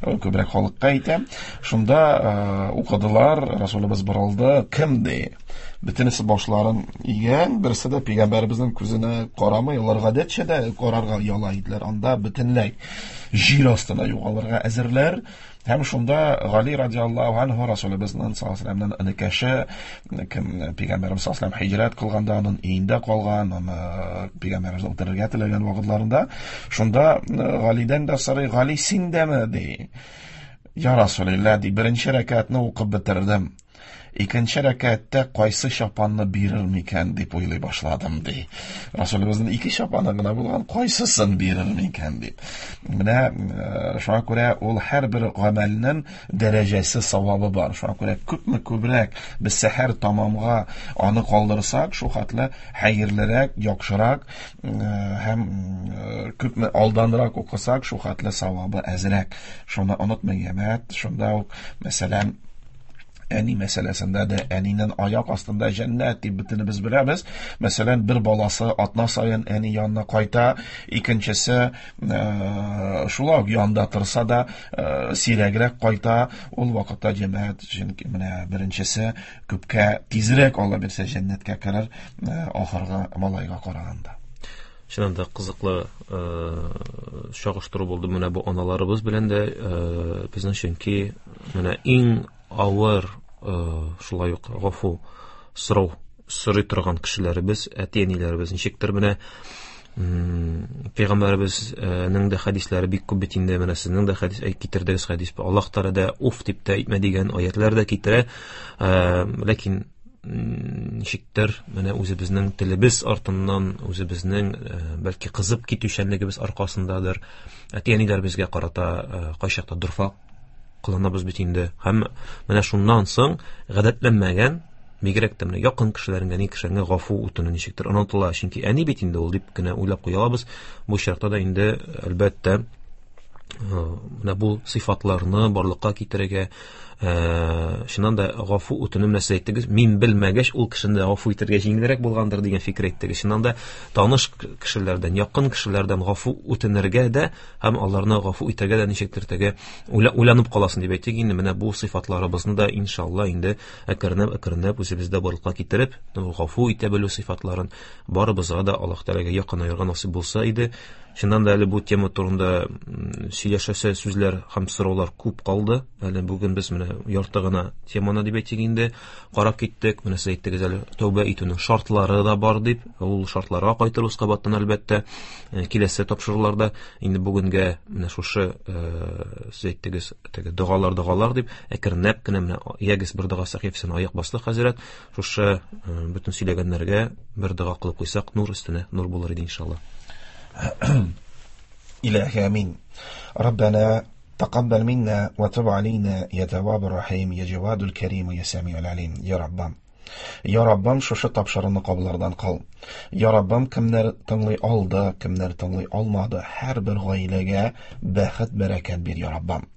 күбрәк халыкка әйтә. Шунда укыдылар, Расулыбыз борылды, кем ди? Бөтенесе башларын игән, берсе дә пәйгамбәребезнең күзенә карамый, алар гадәтчә дә карарга ояла иделәр. Анда бөтенләй җир астына югалырга әзерләр. Һәм шунда Гали радиаллаһу анһу Расулыбызның саллаллаһу алейһи ва сәлләмнең энекәше, кем пәйгамбәребез саллаллаһу алейһи ва сәлләм һиҗрәт кылганда аның өендә калган, аны пәйгамбәребез үтерергә теләгән вакытларында, шунда Галидән дә сорый, Гали, син дәме, ди. Я Расулилла, ди, беренче рәкәтне укып бетердем. Икенче рәкәттә кайсы чапанны бирер микән дип уйлый башладым, ди. Расулыбызның ике чапаны гына булган, кайсысын бирер микән дип. Менә шуңа күрә ул һәрбер гамәлнең дәрәҗәсе, савабы бар. Шуңа күрә күпме күбрәк без сәхәр тамамга аны калдырсак, шул хәтле хәерлерәк, яхшырак, һәм күпме алданрак укысак, шул хәтле савабы әзрәк. Шуны онытмый, җәмәгать. Шунда ук, мәсәлән, әни мәсьәләсендә дә әнинең аяк астында җәннәт дип бөтенебез беләбез. Мәсәлән, бер баласы атна саен әни янына кайта, икенчесе шулай ук янында торса да, сирәгрәк кайта. Ул вакытта җәмәгать, чөнки менә беренчесе күпкә тизрәк Алла бирсә җәннәткә керер, ахыргы малайга караганда. Чыннан да кызыклы чагыштыру булды менә бу аналарыбыз белән дә, безнең чөнки менә иң авыр, шулай ук гафу сорау сорый торган кешеләребез, әти-әниләребез ничектер менә, пәйгамбәребезнең дә хәдисләре бик күп бит инде, менә сезнең дә хәдис, китердегез хәдис, Аллаһ Тәгалә дә уф дип тә әйтмә дигән аятлар да китерә, ләкин ничектер менә үзебезнең телебез артыннан, үзебезнең, бәлки кызып китүчәнлегебез аркасындадыр, әти-әниләребезгә карата, кайчакта дорфа кыланабыз бит инде. Һәм менә шуннан соң гадәтләнмәгән, бигрәк тә менә якын кешеләреңә, ни кешеләреңә гафу үтенү ничектер онытыла, чөнки әни бит инде ул дип кенә уйлап куя алабыз. Бу очракта да инде әлбәттә, менә бу сыйфатларны барлыкка китерергә, чыннан да гафу үтенү менә сез әйттегез, мин белмәгәч ул кешене дә гафу итәргә җиңелрәк булгандыр дигән фикер әйттегез. Чыннан да таныш кешеләрдән, якын кешеләрдән гафу үтенергә дә һәм аларны гафу итәргә дә ничектер теге уйланып каласың дип әйтик инде. Менә бу сыйфатларыбызны да иншалла инде әкренләп, әкренләп үзебездә барлыкка китереп, гафу итә белү сыйфатларын барыбызга да Аллаһ Тәгаләгә якынаерга насыйп булса иде. Чыннан да әле бу тема турында сөйләшәсе сүзләр һәм сораулар күп калды. Әле бүген без менә ярты гына теманы дип әйтик инде карап киттек. Менә сез әйттегез әле тәүбә итүнең шартлары да бар дип. Ул шартларга кайтырбыз кабаттан әлбәттә, киләсе тапшыруларда. Инде бүгенгә менә шушы, сез әйттегез теге догалар, догалар дип, әкренләп кенә менә ягез бер дога сәхифәсен аяк басты хәзрәт. Шушы, бөтен сөйләгәннәргә бер дога кылып куйсак, нур өстенә нур булыр иде иншалла. Илаһи амин. Раббана тақаббал минна ва туб алейна я таввабур рахим я джавадул карим я самиул алим. Я Раббам. Я Раббам, шушы тапшыруны кабуллардан кыл. Я Раббам, кемнәр тыңлый алды, кемнәр тыңлый алмады, һәрбер гаиләгә бәхет, бәрәкәт бир, Я Раббам.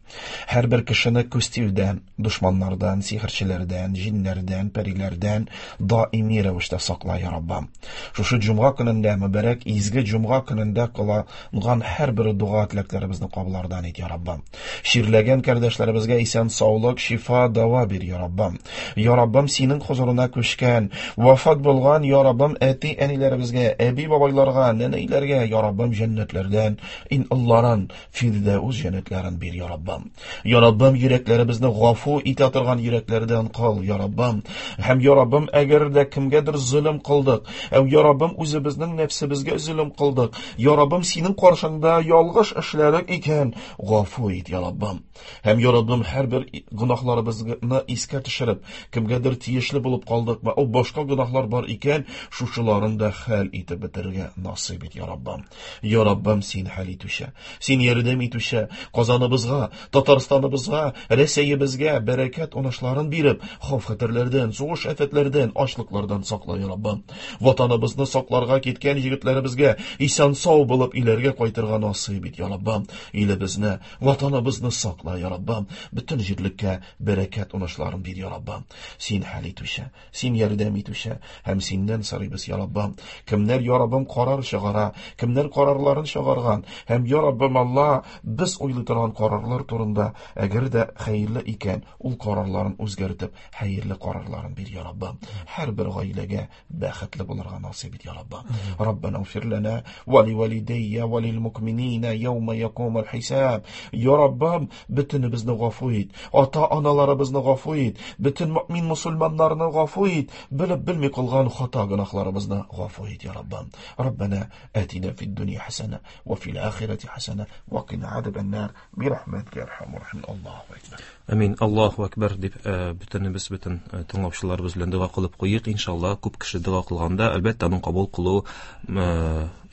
Һәрбер кешене күз тиюдән, дошманнардан, сихерчеләрдән, җиннәрдән, пәриләрдән даими рәвештә сакла, я Раббым. Шушы җомга көнендә, мөбарәк изге җомга көнендә кылынган һәрбер дога теләкләребезне кабуллардан ит, я Раббым. Чирләгән кардәшләребезгә исән саулык, шифа, дава бир, я Раббым. Я Раббым, синең хозурына күчкән, вафат булган, я Раббым, әти-әниләребезгә, әби-бабайларга, нәнәйләргә, я Раббым, җәннәтләрдән ин Алларын, Фирдәүс җәннәтләрен бир, я Раббым. Я Раббым, йөрәкләребезне гафу итә торган йөрәкләрдән кыл, я Раббым. Һәм, я Раббым, әгәр дә кемгәдер золым кылдык, әү, я Раббым, үзебезнең нәфсебезгә золым кылдык, я Раббым, синең каршыңда ялгыш эшләдек икән, гафу ит, я Раббым. Һәм, я Раббым, һәрбер гөнаһларыбызны искә төшереп, кемгәдер тиешле булып калдыкмы, ул башка гөнаһлар бар икән, шушыларын да хәл итеп бетерергә насыйп ит, я Раббым. Я Раббым, син хәл итүче, син ярдәм итүче, Казаныбызга, Татарстаныбызга, Рәсәебезгә бәрәкәт уңышларын биреп, хауф-хәтәрләрдән, сугыш афәтләрдән, ачлыклардан сакла, я Раббым. Ватаныбызны сакларга киткән егетләребезгә исән-сау булып өйләргә кайтырга насыйп ит, я Раббым. Илебезне, Ватаныбызны сакла, я Раббым. Бөтен җирлеккә бәрәкәт уңышларын бир, я Раббым. Син хәл итүче, син ярдәм итүче һәм синнән сорыйбыз, я Раббым. Кемнәр, я Раббым, карар чыгара, кемнәр карарларын чыгарган һәм, я Раббым, Алла, без уйлый торган карарлар турында, әгәр дә хәерле икән, ул карарларын үзгәртеп, хәерле карарларын бир, я Раббым. Һәрбер гаиләгә бәхетле булырга насыйп ит, я Раббым. Раббана гфир лана ва ли валидайя ва лил мукминина яума якумул хисаб. Я Раббым, бөтенебезне гафу ит, ата-аналарыбызны гафу ит, бөтен мөмин мусульманнарны гафу ит, белеп белми кылган хата гөнаһларыбызны гафу ит, я Раббым. Раббана атина фид дөнья хасана ва фил ахирати хасана ва кина азабан нар бирахматика я архамар рахимин. Аллаһу акбар. Амин. Аллаһу акбар дип бөтенебез, бөтен тыңлаучыларыбыз белән дога кылып куйыйк. Иншалла, күп кеше дога кылганда, әлбәттә, аның кабул кылу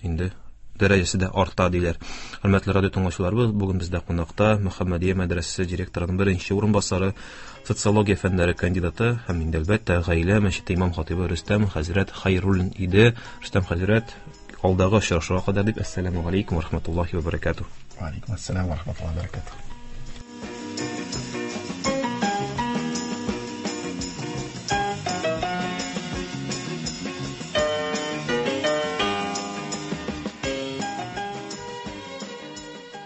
инде дәрәҗәсе дә арта диләр. Хөрмәтле радио тыңлаучыларыбыз, бүген бездә кунакта Мөхәммәдия мәдрәсәсе директорының беренче урынбасары, социология фәннәре кандидаты һәм инде әлбәттә гаилә мәчете имам хатибы Рөстәм хәзрәт Хайруллин иде. Рөстәм хәзрәт, алдагы очрашуга кадәр дип, әссәламу алейкум ва рахматуллахи ва баракатуh. Ва алейкум ассалам ва рахматуллахи ва баракатуh.